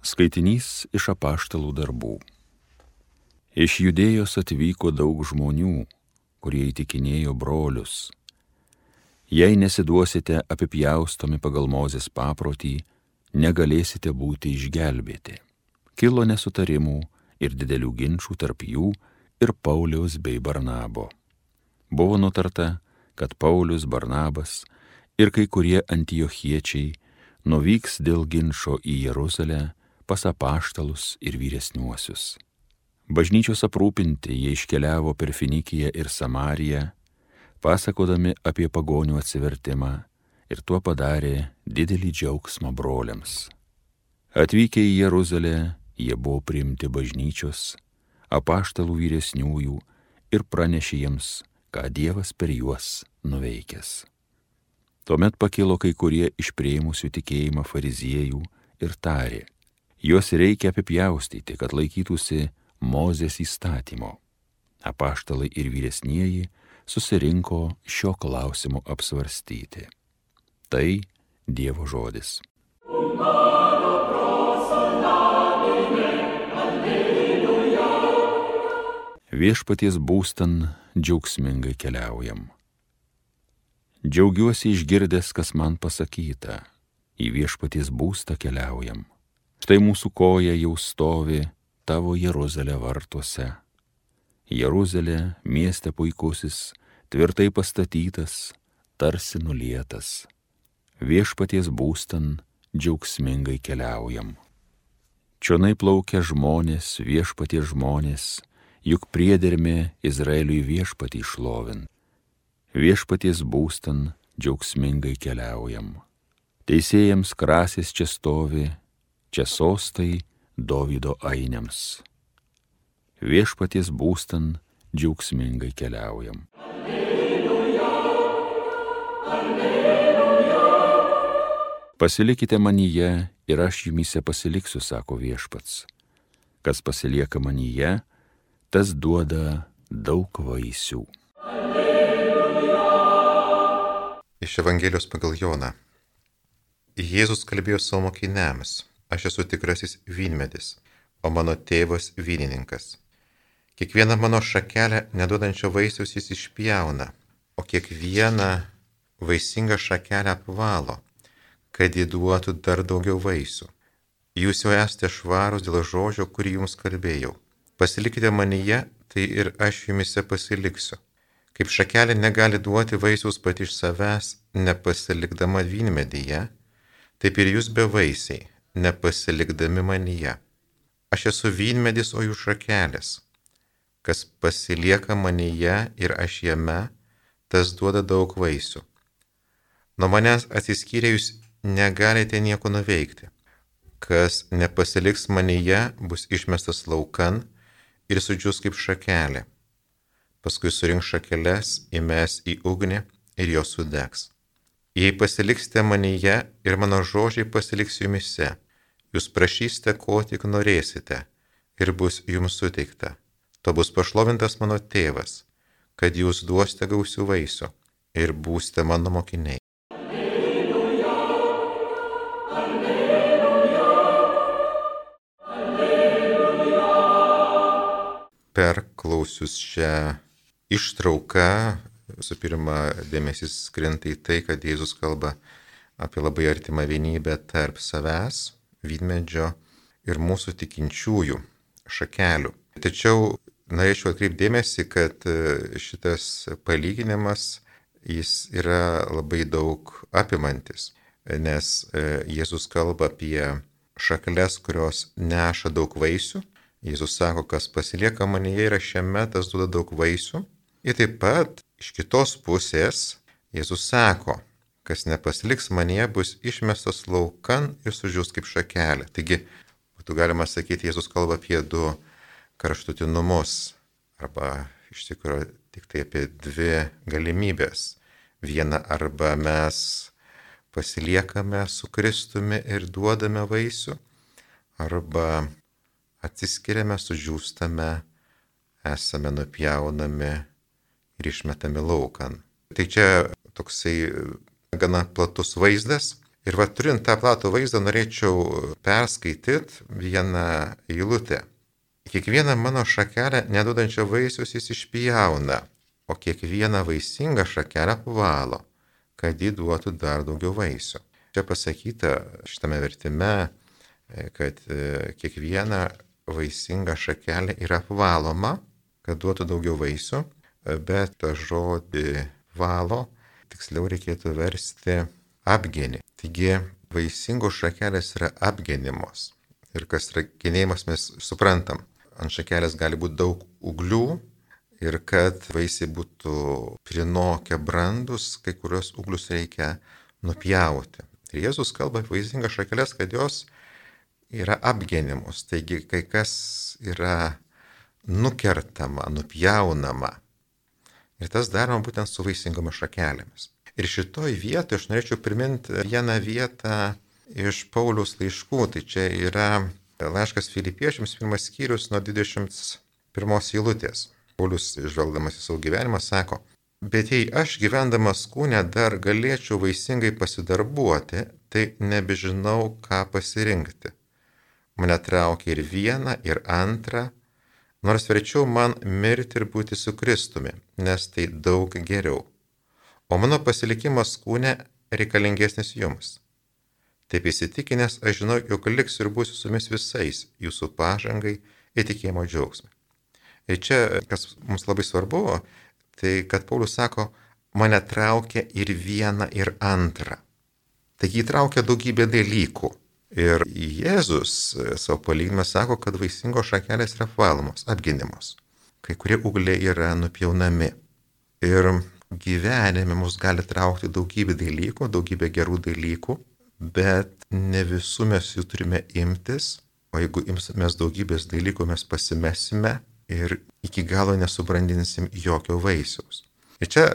Skaitinys iš apaštalų darbų. Iš Judėjos atvyko daug žmonių, kurie įtikinėjo brolius. Jei nesiduosite apipjaustomi pagal Mozės paprotį, negalėsite būti išgelbėti. Kilo nesutarimų ir didelių ginčų tarp jų ir Pauliaus bei Barnabo. Buvo nutarta, kad Paulius, Barnabas ir kai kurie antiochiečiai nuvyks dėl ginčo į Jeruzalę pas apaštalus ir vyresniuosius. Bažnyčios aprūpinti jie iškeliavo per Finikiją ir Samariją, pasakodami apie pagonių atsivertimą, ir tuo padarė didelį džiaugsmą broliams. Atvykę į Jeruzalę, jie buvo priimti bažnyčios, apaštalų vyresniųjų ir pranešė jiems, ką Dievas per juos nuveikęs. Tuomet pakilo kai kurie iš priėmusių tikėjimą fariziejų ir tarė: juos reikia apipjaustyti, kad laikytųsi Mozės įstatymo. Apaštalai ir vyresnieji susirinko šio klausimo apsvarstyti. Tai Dievo žodis. Viešpaties būstan džiaugsmingai keliaujam. Džiaugiuosi išgirdęs, kas man pasakyta. Į viešpaties būstą keliaujam. Štai mūsų koja jau stovi tavo Jeruzalė vartuose. Jeruzalė, mieste puikusis, tvirtai pastatytas, tarsi nulietas. Viešpaties būstan džiaugsmingai keliaujam. Čionai plaukia žmonės, viešpaties žmonės, juk priedermė Izraeliui viešpatį šlovin. Viešpaties būstan džiaugsmingai keliaujam. Teisėjams krasės čia stovi, čia sostai Dovydo ainiams. Viešpaties būstan džiaugsmingai keliaujam. Alleluja, alleluja. Pasilikite manyje ir aš jumyse pasiliksiu, sako viešpats. Kas pasilieka manyje, tas duoda daug vaisių. Alleluja. Iš Evangelijos pagal Joną. Jėzus kalbėjo savo mokiniams: aš esu tikrasis vynmedis, o mano tėvas vynininkas. Kiekvieną mano šakelę neduodančio vaisiaus jis išpjauna, o kiekvieną vaisingą šakelę apvalo, kad ji duotų dar daugiau vaisių. Jūs jau esate švarūs dėl žodžio, kurį jums kalbėjau. Pasilikite manyje, tai ir aš jumise pasiliksiu. Kaip šakelė negali duoti vaisiaus pati iš savęs, nepasilikdama vynmedyje, taip ir jūs bevaisiai, nepasilikdami manyje. Aš esu vynmedis, o jūs šakelės. Kas pasilieka manyje ir aš jame, tas duoda daug vaisių. Nuo manęs atsiskyrę jūs negalite nieko nuveikti. Kas nepasiliks manyje, bus išmestas laukan ir sudžius kaip šakelė. Paskui surinks šakeles, įmes į ugnį ir jos sudegs. Jei pasiliksite manyje ir mano žodžiai pasiliks jumise, jūs prašysite, ko tik norėsite, ir bus jums suteikta. To bus pašlovintas mano tėvas, kad jūs duosite gausių vaisių ir būsite mano mokiniai. Alleluja, alleluja, alleluja. Perklausius šią ištrauką, visų pirma, dėmesys krinta į tai, kad Jėzus kalba apie labai artimą vienybę tarp savęs, vynmedžio ir mūsų tikinčiųjų šakelių. Tačiau norėčiau atkreipti dėmesį, kad šitas palyginimas, jis yra labai daug apimantis, nes Jėzus kalba apie šakeles, kurios neša daug vaisių. Jėzus sako, kas pasilieka manyje ir aš jame, tas duoda daug vaisių. Ir taip pat iš kitos pusės Jėzus sako, kas nepasiliks manyje, bus išmestas laukan ir sudžius kaip šakelė. Taigi, būtų galima sakyti, Jėzus kalba apie du kraštutinumus, arba iš tikrųjų tik tai apie dvi galimybės. Viena, arba mes pasiliekame su Kristumi ir duodame vaisių, arba atsiskiriame, sudžiūstame, esame nupjaunami ir išmetami laukan. Tai čia toksai gana platus vaizdas Ir turint tą platų vaizdą, norėčiau perskaityti vieną eilutę. Kiekvieną mano šakelę neduodančią vaisius jis išpjauna, o kiekvieną vaisingą šakelę apvalo, kad ji duotų dar daugiau vaisių. Čia pasakyta šitame vertime, kad kiekviena vaisinga šakelė yra apvaloma, kad duotų daugiau vaisių, bet tą žodį valo tiksliau reikėtų versti apgenį. Taigi vaisingos šakelės yra apgenimos. Ir kas yra genėjimas mes suprantam. Ant šakelės gali būti daug ūglių ir kad vaisiai būtų prinokę brandus, kai kurios ūglius reikia nupjauti. Ir Jėzus kalba apie vaisingas šakelės, kad jos yra apgenimos. Taigi kai kas yra nukertama, nupjaunama. Ir tas daroma būtent su vaisingomis šakelėmis. Ir šitoj vietoje aš norėčiau priminti vieną vietą iš Pauliaus laiškų. Tai čia yra laiškas Filipiečiams, 1 skyrius nuo 21 eilutės. Paulius, žvelgdamas į savo gyvenimą, sako: bet jei aš gyvendamas kūne dar galėčiau vaisingai pasidarbuoti, tai nebežinau, ką pasirinkti. Mane traukia ir viena, ir antra, nors verčiau man mirti ir būti su Kristumi, nes tai daug geriau. O mano pasilikimas kūne reikalingesnis jums. Taip įsitikinęs, aš žinau, jog liksiu ir būsiu su jumis visais jūsų pažangai ir tikėjimo džiaugsmai. Ir čia, kas mums labai svarbu, tai kad Paulius sako, mane traukia ir viena, ir antra. Taigi įtraukia daugybę dalykų. Ir Jėzus savo palyginime sako, kad vaisingos šakelės yra apvalomos, apginimos. Kai kurie ūgliai yra nupjaunami. Ir gyvenime mus gali traukti daugybė dalykų, daugybė gerų dalykų, bet ne visų mes jų turime imtis, o jeigu imsimės daugybės dalykų, mes pasimesime ir iki galo nesubrandinsim jokio vaisiaus. Ir čia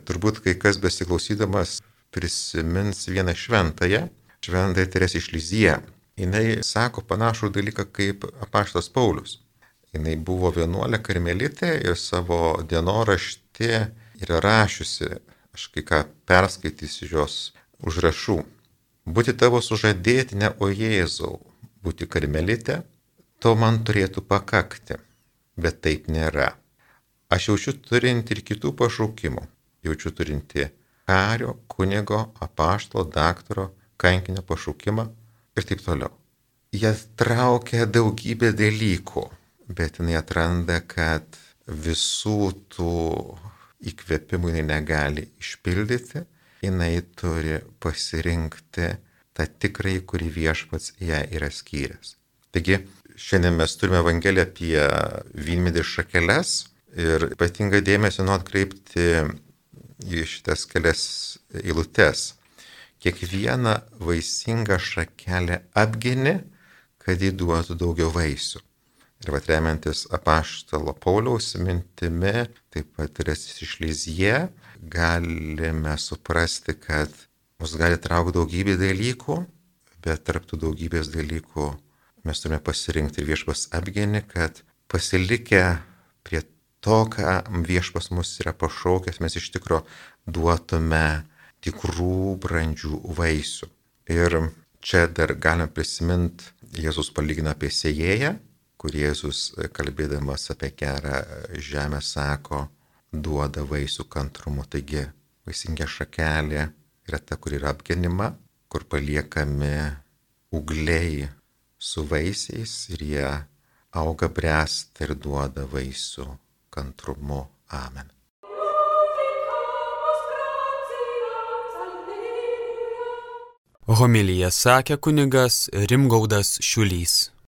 turbūt kai kas besiklausydamas prisimins vieną šventąją, Šventąją Teresę iš Lizie. Jinai sako panašų dalyką kaip apaštalas Paulius. Jinai buvo vienuolė karmelitė ir savo dienoraštį yra rašiusi, aš kai ką perskaitysiu jos užrašų. Būti tavo sužadėtinė, o Jėzau, būti karmelitė, to man turėtų pakakti, bet taip nėra. Aš jaučiu turinti ir kitų pašaukimų. Jaučiu turinti kario, kunigo, apaštalo, daktaro, kankinio pašaukimą ir taip toliau. Jie traukia daugybę dalykų, bet jinai atranda, kad visų tų įkvėpimų jinai negali išpildyti, jinai turi pasirinkti tą tikrąjį, kurį viešpats ją yra skyręs. Taigi, šiandien mes turime Evangeliją apie vynmedės šakeles ir ypatingą dėmesį noriu atkreipti į šitas kelias eilutes. Kiekvieną vaisingą šakelę apgini, kad jį duotų daugiau vaisių. Ir remiantis apaštalo Pauliaus mintimi, taip pat Teresės iš Lizie, galime suprasti, kad mus gali traukti daugybė dalykų, bet tarp tų daugybės dalykų mes turime pasirinkti viešpas apgini, kad pasilikę prie to, ką viešpas mus yra pašaukęs, mes iš tikro duotume tikrų brandžių vaisių. Ir čia dar galime prisiminti, Jėzus palygina apie sėjėją, kur Jėzus, kalbėdamas apie gerą žemę, sako, duoda vaisių kantrumu. Taigi, vaisinga šakelė yra ta, kur yra apgenima, kur paliekami ūgliai su vaisiais ir jie auga, bręsta ir duoda vaisių kantrumu. Amen. Homiliją sakė kunigas Rimgaudas Šiulys.